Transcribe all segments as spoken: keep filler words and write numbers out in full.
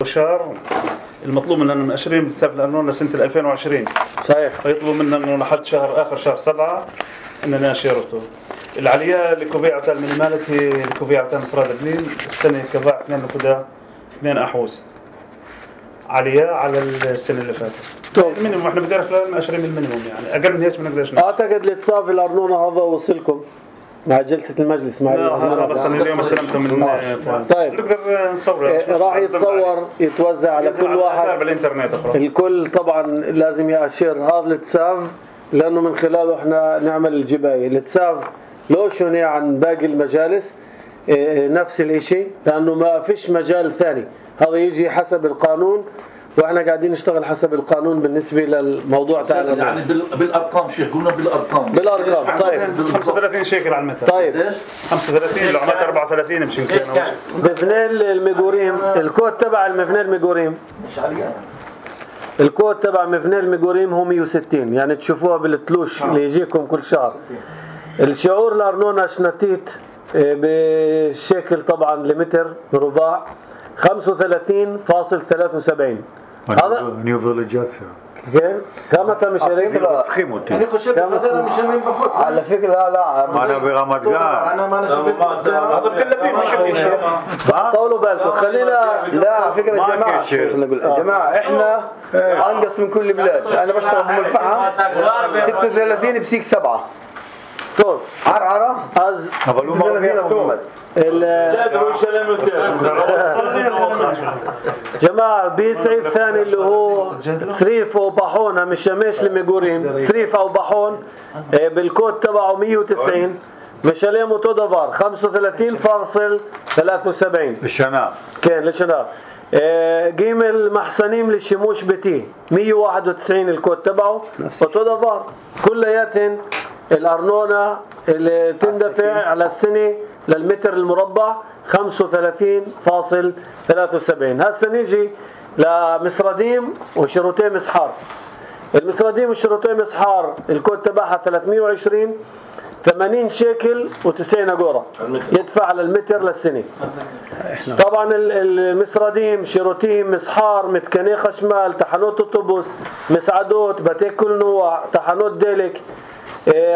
شهر المطلوب مننا من عشرين بتساب الأرنون لسنة ألفين وعشرين. صحيح. فيطلبوا منا إنه لحد شهر آخر شهر سبعة إننا نشيرته. العالية لكوبيعة المينيماليتي لكوبيعة مصراد بنين السنة كباع اثنين نقطة اثنين أحوز عالية على السنة اللي فاتت. طب المينيموم إحنا بدنا خلال عشرين من المينيموم يعني أقل من هيك ما نقدرش. أعتقد لتصافي الأرنون هذا وصلكم مع جلسة المجلس مع لا بس أنا اليوم استلمته من. طيب. نقدر نصور. راح يتصور يتوزع على كل واحد بالإنترنت أخرى. الكل طبعا لازم يأشر هذا الاتساف لأنه من خلاله إحنا نعمل الجباية. الاتساف لو شوني عن باقي المجالس نفس الاشي لأنه ما فيش مجال ثاني. هذا يجي حسب القانون واحنا قاعدين نشتغل حسب القانون بالنسبه للموضوع تاعنا يعني بالارقام شيخ قلنا بالارقام بالارقام. طيب خمسة وثلاثين شيكل على المتر. طيب خمسة وثلاثين لو عملت أربعة وثلاثين مش يمكن. مفنيل الميغوريم الكود تبع المفنيل الميغوريم مش عالية. الكود تبع مفنيل الميغوريم هو مية وستين يعني تشوفوها بالتلوش اللي يجيكم كل شهر. الشعور الأرنونة شنتيت بالشكل طبعا لمتر رباع خمسة وثلاثين فاصل ثلاثة وسبعين. هذا نيو فيليجات كم كم تم شريك يعني خشيت هذا مش من بخوت على فكرة لا لا ما انا برمضان انا ما انا شفت هذا كله مش شيء. طولوا بالكم خلينا لا على فكرة يا جماعة يا جماعة احنا انقص من كل بلاد. انا بشتغل بأم الفحم ستة وثلاثين بسيك سبعة طول عرعرة از ستة وثلاثين ابو محمد جماعة بيسعيد ثاني اللي هو سريف وبحون مش شماش لميغوريم سريف او بحون بالكود تبعه مية وتسعين مشاليه موتودافار خمسة وثلاثين فاصل ثلاثة وسبعين الشناء كان للشناء. قيم المحسنين للشموش بتي مية وواحد وتسعين الكود تبعه موتودافار كلياتهم الأرنونة اللي تندفع على السنة للمتر المربع خمسة وثلاثين فاصل ثلاثة وسبعين. هسه نيجي لمصراديم وشروطين مسحار. المصراديم وشروطين مسحار الكود تبعها ثلاثمية وعشرين ثمانين شيكل وتسعين أجورة يدفع على المتر للسنة. طبعا المصراديم شروطين مسحار متكني خشمال تحنوت أوتوبوس مسعدوت بتيك كل نوع تحنوت ديلك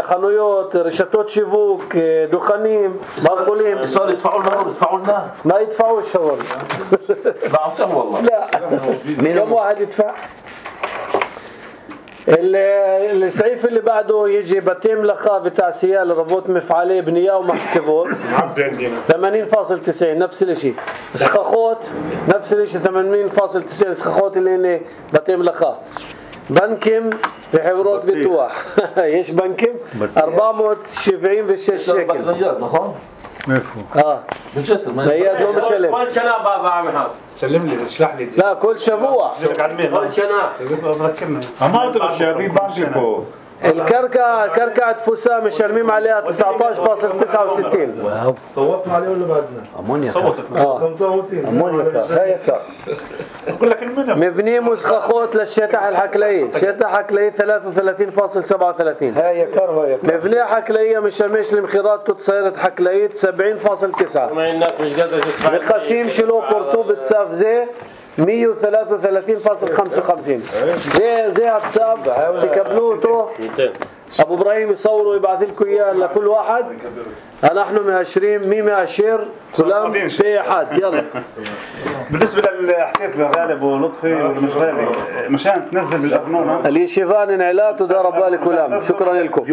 خنويات رشتات شيفوك دخانين مقبولين. صار يدفعوا لنا يدفعوا لنا ما يدفعوش هو بعصم والله لا كم واحد يدفع. السعيف اللي بعده يجي بتيم لخا بتاع سيال ربوت مفعليه بنيه ومحسبوت ثمانين فاصل تسعين نفس الشيء. سخاخوت نفس الشيء ثمانين فاصل تسعين سخاخوت اللي هنا بتيم لخا. بنكم بحبروت بتوح ايش بنكم أربعمية وسبعين بالشيش شكل مفهوم اه بالجسر ما هي لو مشلم كل شنا بابا عم يحط سلم لي اشرح لي. لا كل شبوع كل شنا ذكرنا ما ادري شاري بانكو الكركة كركعة فسام مشلمين عليها تسعة عشر فاصل تسعة وستين. واو صوتنا عليه ولا بعدنا امونيا اه امونيا هاي كا اقول لك المنم مبني مسخخوت للشتح الحكليه شتح حكليه ثلاثة وثلاثين فاصل سبعة وثلاثين هاي كار هاي مبني حكليه مشمش لمخيرات تصيرت حكليه سبعين فاصل تسعة. ما الناس مش قادره تدفع. القسيم شلو قرطوب تساف زي مية وثلاثة وثلاثين فاصل خمسة وخمسين زي زي هتساب تكبلوته ابو ابراهيم يصوروا ويبعث لكم اياه لكل واحد. نحن مهشرين مية مهشر كلام في حد يلا. بالنسبه للحكايه غالب ولطفي ومش غالب مشان تنزل بالأرنونة اللي شيفان انعلات ودار بالي كلام. شكرا لكم.